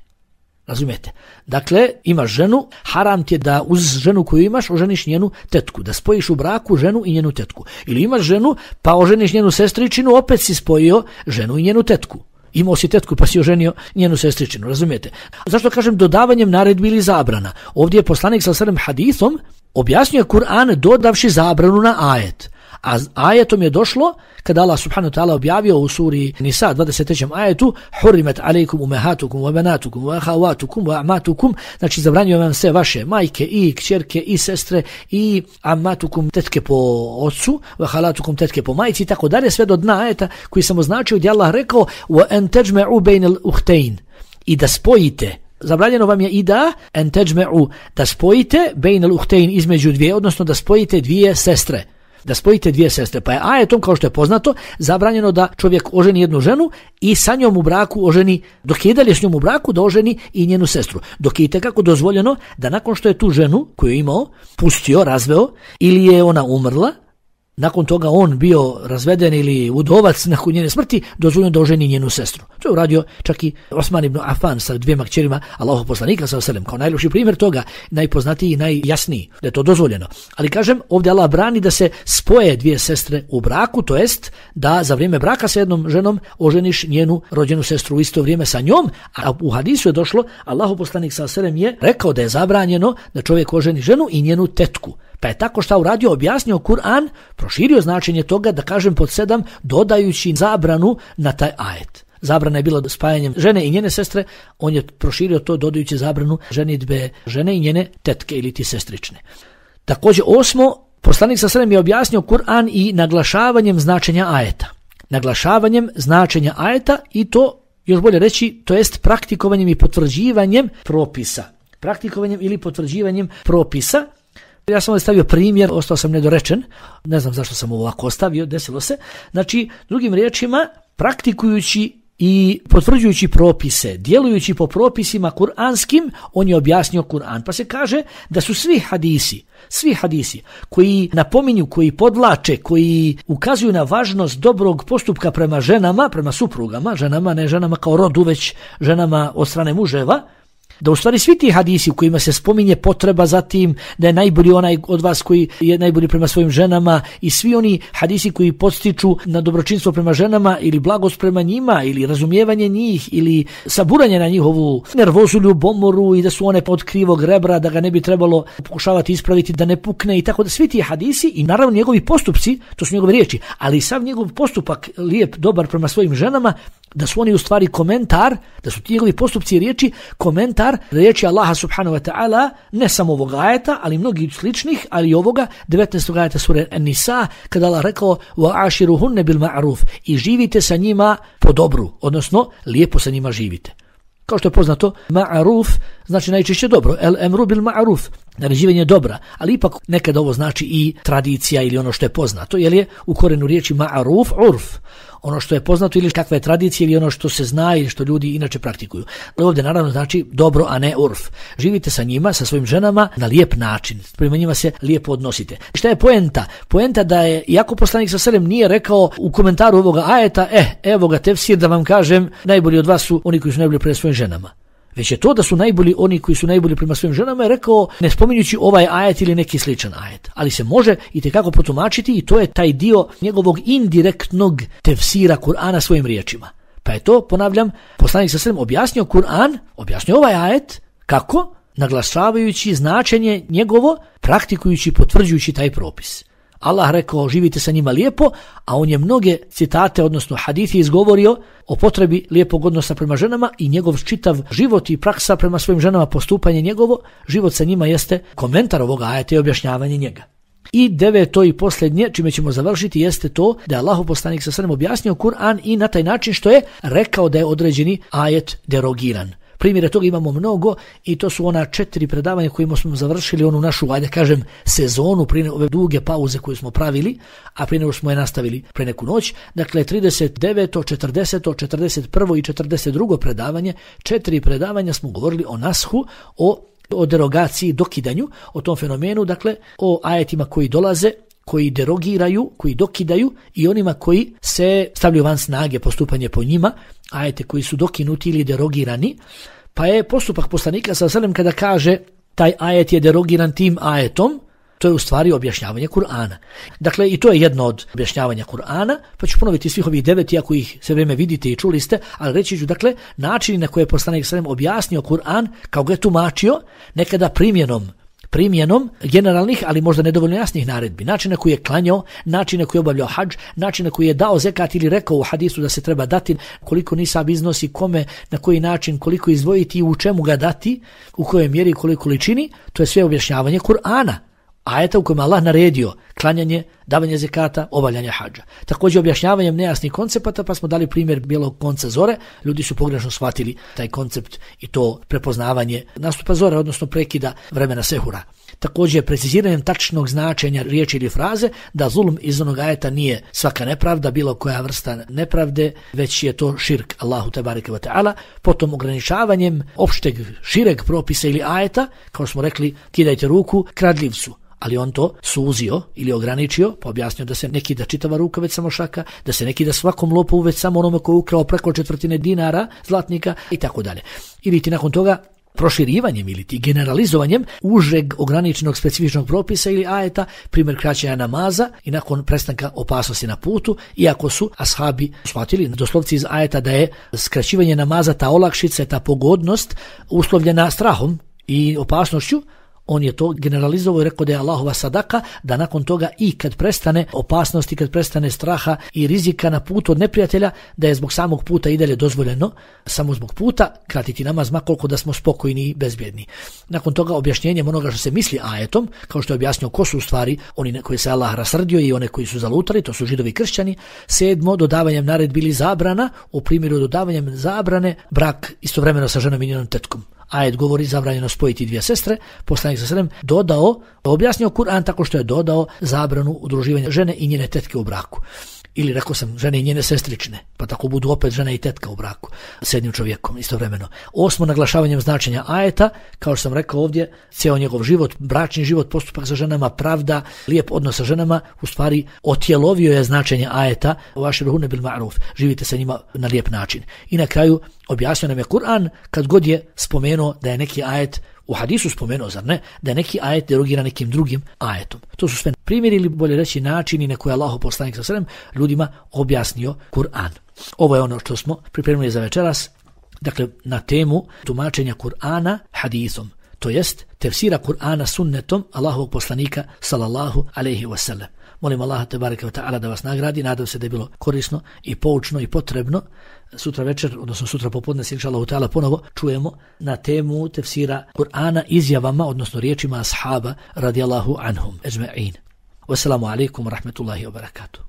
Razumijete? Dakle, imaš ženu, haram ti je da uz ženu koju imaš oženiš njenu tetku, da spojiš u braku ženu i njenu tetku. Ili imaš ženu pa oženiš njenu sestričinu, opet si spojio ženu i njenu tetku. Imao si tetku pa si oženio njenu sestričinu, razumijete? Zašto kažem dodavanjem naredbi ili zabrana? Ovdje je poslanik sallallahu alejhi ve sellem hadithom objasnio Kur'an dodavši zabranu na ajet. A ajetom je došlo kada Allah subhanahu wa ta'ala objavio u suri Nisa dvadeset trećem ajetu hurimat alejkum ummahatukum wa banatukum wa akhawatukum wa amatukum, znači zabranjuje vam sve vaše majke i kćerke i sestre i amatukum tetke po ocu wa khalatukum tetke po majci, tako dalje sve do dna ajeta koji sam označio gdje Allah rekao wa an tajma'u bainal ukhtayn, i da spojite. Zabranjeno vam je i da an tajma'u, da spojite bainal ukhtayn, između dvije, odnosno da spojite dvije sestre. Da spojite dvije sestre. Pa je ajetom, kao što je poznato, zabranjeno da čovjek oženi jednu ženu i sa njom u braku oženi, dok je dalje s njom u braku, da oženi i njenu sestru. Dok je itekako dozvoljeno da nakon što je tu ženu koju je imao, pustio, razveo, ili je ona umrla, nakon toga on bio razveden ili udovac nakon njene smrti, dozvoljeno da oženi njenu sestru. To je uradio čak i Osman ibn Affan sa dvijema kćerima Allahov poslanika sallallahu alejhi ve sellem, kao najljepši primjer toga, najpoznatiji i najjasniji, da je to dozvoljeno. Ali kažem, ovdje Allah brani da se spoje dvije sestre u braku, to jest da za vrijeme braka sa jednom ženom oženiš njenu rođenu sestru u isto vrijeme sa njom, a u hadisu je došlo, Allahov poslanik sallallahu alejhi ve sellem je rekao da je zabranjeno da čovjek oženi ženu i njenu tetku. Pa je tako šta uradio, objasnio Kur'an, proširio značenje toga, da kažem pod sedam, dodajući zabranu na taj ajet. Zabrana je bila spajanjem žene i njene sestre, on je proširio to dodajući zabranu ženidbe žene i njene tetke ili ti sestrične. Također osmo, poslanik sallallahu alejhi ve sellem je objasnio Kur'an i naglašavanjem značenja ajeta. Naglašavanjem značenja ajeta i to, još bolje reći, to jest praktikovanjem i potvrđivanjem propisa. Praktikovanjem ili potvrđivanjem propisa. Ja sam ovdje stavio primjer, ostao sam nedorečen, ne znam zašto sam ovo ovako ostavio, desilo se. Znači, drugim riječima, praktikujući i potvrđujući propise, djelujući po propisima kuranskim, on je objasnio Kur'an. Pa se kaže da su svi hadisi, svi hadisi koji napominju, koji podlače, koji ukazuju na važnost dobrog postupka prema ženama, prema suprugama, ženama, ne ženama kao rodu, već ženama od strane muževa, da u stvari svi ti hadisi u kojima se spominje potreba za tim da je najbolji onaj od vas koji je najbolji prema svojim ženama i svi oni hadisi koji podstiču na dobročinstvo prema ženama ili blagost prema njima ili razumijevanje njih ili saburanje na njihovu nervozu, ljubomoru i da su one od krivog rebra, da ga ne bi trebalo pokušavati ispraviti, da ne pukne i tako da svi ti hadisi i naravno njegovi postupci, to su njegove riječi, ali sav njegov postupak lijep, dobar prema svojim ženama, da su oni u stvari komentar, da su ti njegovi postupci i riječi komentar riječi Allaha subhanahu wa ta'ala, ne samo ovog ajeta, ali mnogi sličnih, ali i ovoga devetnaestog ajeta sure An-Nisa, kada Allah rekao وَعَاشِرُهُنَّ بِالْمَعْرُوفِ i živite sa njima po dobru, odnosno lijepo sa njima živite. Kao što je poznato, ma'ruf znači najčešće dobro, el emru bil ma'ruf, naređivanje dobra, ali ipak nekad ovo znači i tradicija ili ono što je poznato, jer je u korenu riječi ma'ruf urf, ono što je poznato ili kakva je tradicija ili ono što se zna ili što ljudi inače praktikuju. Ovdje naravno znači dobro, a ne urf. Živite sa njima, sa svojim ženama na lijep način, prema njima se lijepo odnosite. Šta je poenta? Poenta da je, iako poslanik sa selem nije rekao u komentaru ovoga ajeta, eh, evo ga tefsir da vam kažem, najbolji od vas su oni koji su najbolji prema svojim ženama. Već je to da su najbolji oni koji su najbolji prema svojim ženama je rekao ne spominjući ovaj ajet ili neki sličan ajet. Ali se može itekako protumačiti i to je taj dio njegovog indirektnog tefsira Kur'ana svojim riječima. Pa je to, ponavljam, poslanik sa selem objasnio Kur'an, objasnio ovaj ajet, kako? Naglašavajući značenje njegovo, praktikujući, potvrđujući taj propis. Allah rekao živite sa njima lijepo, a on je mnoge citate, odnosno hadithi izgovorio o potrebi lijepog odnosa prema ženama i njegov čitav život i praksa prema svojim ženama, postupanje njegovo, život sa njima jeste komentar ovoga ajeta i objašnjavanje njega. I deveto i posljednje, čime ćemo završiti, jeste to da je Allahov poslanik sa selem objasnio Kur'an i na taj način što je rekao da je određeni ajet derogiran. Primjere toga imamo mnogo i to su ona četiri predavanja kojima smo završili onu našu, ajde kažem, sezonu prije ove duge pauze koju smo pravili, a prije nego smo je nastavili pre neku noć. Dakle, trideset deveto, četrdeseto, četrdeset prvo i četrdeset drugo predavanje, četiri predavanja smo govorili o nashu, o, o derogaciji, dokidanju, o tom fenomenu, dakle, o ajetima koji dolaze, koji derogiraju, koji dokidaju i onima koji se stavljaju van snage postupanje po njima, ajete koji su dokinuti ili derogirani. Pa je postupak poslanika sa selem kada kaže taj ajet je derogiran tim ajetom, to je u stvari objašnjavanje Kur'ana. Dakle, i to je jedno od objašnjavanja Kur'ana, pa ću ponoviti svih ovih devet, iako ih sve vrijeme vidite i čuli ste, ali reći ću, dakle, način na koje je poslanik sa selem objasnio Kur'an, kao ga je tumačio, nekada primjenom primjenom generalnih, ali možda nedovoljno jasnih naredbi, način na koji je klanjao, način na koji je obavljao hadž, način na koji je dao zekat ili rekao u hadisu da se treba dati, koliko nisab iznosi, kome, na koji način, koliko izdvojiti i u čemu ga dati, u kojoj mjeri i koliko količini, to je sve objašnjavanje Kur'ana. Ajeta u kojem Allah naredio klanjanje, davanje zekata, obavljanje hadža. Također objašnjavanjem nejasnih koncepata, pa smo dali primjer bijelog konca zore, ljudi su pogrešno shvatili taj koncept i to prepoznavanje nastupa zore, odnosno prekida vremena sehura. Također preciziranjem tačnog značenja riječi ili fraze, da zulm iz onog ajeta nije svaka nepravda, bilo koja vrsta nepravde, već je to širk Allahu tebareke ve taala, potom ograničavanjem opšteg šireg propisa ili ajeta, kao smo rekli, kidajte ruku kradljivcu. Ali on to suzio ili ograničio, pa objasnio da se neki da čitava ruka već samo šaka, da se neki da svakom lopovu već samo onome koji je ukrao preko četvrtine dinara, zlatnika i tako dalje. Ili ti nakon toga proširivanjem ili ti generalizovanjem užeg ograničenog specifičnog propisa ili ajeta, primjer kraćenja namaza i nakon prestanka opasnosti na putu, iako su ashabi shvatili doslovci iz ajeta da je skraćivanje namaza, ta olakšica, ta pogodnost uslovljena strahom i opasnošću, on je to generalizovao i rekao da je Allahova sadaka, da nakon toga i kad prestane opasnosti, kad prestane straha i rizika na putu od neprijatelja, da je zbog samog puta i dalje dozvoljeno, samo zbog puta, kratiti namaz makoliko da smo spokojni i bezbjedni. Nakon toga objašnjenjem onoga što se misli ajetom, kao što je objasnio ko su u stvari oni koji se Allah rasrdio i one koji su zalutali, to su židovi i kršćani. Sedmo, dodavanjem naredbi ili zabrana, u primjeru dodavanjem zabrane, brak istovremeno sa ženom i njenom tetkom. Ajet govori zabranjeno spojiti dvije sestre, poslanik sa selem dodao, objasnio Kur'an tako što je dodao zabranu udruživanja žene i njene tetke u braku. Ili rekao sam žene i njene sestrične, pa tako budu opet žena i tetka u braku s jednim čovjekom istovremeno. Osmo, naglašavanjem značenja ajeta, kao što sam rekao ovdje, cijel njegov život, bračni život, postupak sa ženama, pravda, lijep odnos sa ženama, u stvari otjelovio je značenje ajeta, vaširhune bil ma'ruf, živite sa njima na lijep način. I na kraju objasnio nam je Kur'an kad god je spomenuo da je neki ajet u hadisu spomenuo, zar ne, da je neki ajet derogira nekim drugim ajetom. To su sve primjeri ili bolje reći načini na koje Allahov poslanik sa selem ljudima objasnio Kur'an. Ovo je ono što smo pripremili za večeras, dakle na temu tumačenja Kur'ana hadisom, to jest tefsira Kur'ana sunnetom Allahovog poslanika sallallahu alejhi ve sellem. Molim Allaha tebareke ve taala da vas nagradi, nadam se da je bilo korisno i poučno i potrebno. Sutra večer, odnosno sutra popodne se inšallahu ta'ala ponovo čujemo na temu tefsira Kur'ana izjavama, odnosno riječima ashaba radijallahu anhum ejma'in. Wassalamu alaikum wa rahmatullahi wa barakatuh.